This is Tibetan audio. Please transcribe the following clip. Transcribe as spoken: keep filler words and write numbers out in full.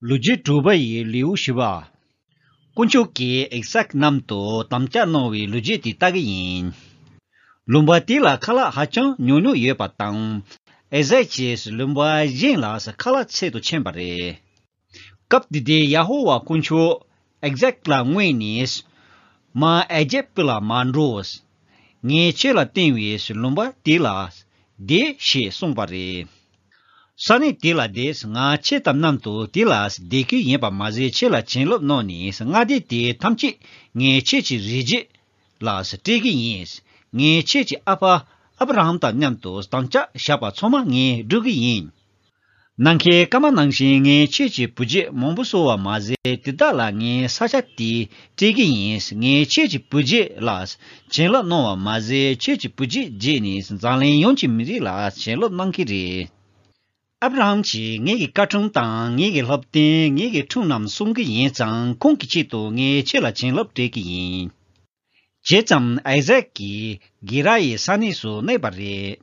ལོ་རྒྱུས་དྲུག་པ་ཡི་ལེའུ་བཞི་པ། དཀོན་མཆོག་གིས་ཨི་སཱག་མཉམ་དུ་དམ་བཅའ་གནང་བའི་ལོ་རྒྱུས་དེ་ལྟ་གི་ཡིན། ལུང་པ་དེ་ལ་ཁ་ལག་ཧ་ཅང་ཉུང་ཉུང་ཡོད་པ་དང་། ཨི་སཱག་གིས་ལུང་པ་གཞན་ལ་ཁ་ལག་འཚོལ་དུ་ཕྱིན་པ་རེད། སྐབས་དེ་དུས་ཡ་ཧོ་ཝཱ་དཀོན་མཆོག་ཨི་སཱག་ལ་མངོན་ནས། མར་ཨི་ཇིབ་ལ་མ་འགྲོ། ངས་ཁྱེད་ལ་བསྟན་པའི་ལུང་པ་དེ་ལ་བསྡད་ཞེས་གསུངས་པ་རེད། ས་གནས་དེ་ལ་བསྡད། ང་ཁྱེད་དང་མཉམ་དུ་དེ་ལ་བསྡད་ཀྱི་ཡིན་པ་མ་ཟད། ཁྱེད་ལ་བྱིན་རླབས་གནང་ནས་མངའ་སྡེ་དེ་ཐམས་ཅད་ངས་ཁྱེད་ཀྱི་རིགས་རྒྱུད་ལ་སྤྲད་ཀྱི་ཡིན། ངས་ཁྱེད་ཀྱི་ཨ་ཕ་ཨབ་ར་ཧམ་དང་མཉམ་དུ་དམ་བཅའ་བཞག་པ་ཚང་མ་ངས་སྒྲུབ་ཀྱི་ཡིན། ནམ་མཁའི་སྐར་མ་ནང་བཞིན་ངས་ཁྱེད་ཀྱི་བུ་རྒྱུད་མང་པོ་གསོ་བ་མ་ཟད། དེ་དག་ལ་ངས་ས་ཆ་དེ་སྤྲད་ཀྱི་ཡིན། ངས་ཁྱེད་ཀྱི་བུ་རྒྱུད་ལ་བྱིན་རླབས་གནང་བ་མ་ཟད། ཁྱེད་ཀྱི་བུ་རྒྱུད་རྗེས་ནས་འཛམ་གླིང་ཡོངས་ཀྱི་མི་རིགས་ལ་བྱིན་རླབས་གནང་གི་རེད། ཨབ་ར་ཧམ་གྱིས་ངེད་ཀྱི་བཀའ་ཁྲིམས་དང་ངེད་ཀྱི་སློབ་སྟོན། ངེད་ཀྱི་ཁྲིམས་རྣམས་སྲུང་གི་ཡིན་ཙང་། ཁོང་གི་ཆེད་དུ་ངས་ཁྱེད་ལ་བྱིན་རླབས་སྤྲད་ཀྱི་ཡིན། བྱས་ཙང་ཨི་སཱག་གིས་གེ་ར་ཡི་ས་གནས་སུ་གནས་པ་རེད།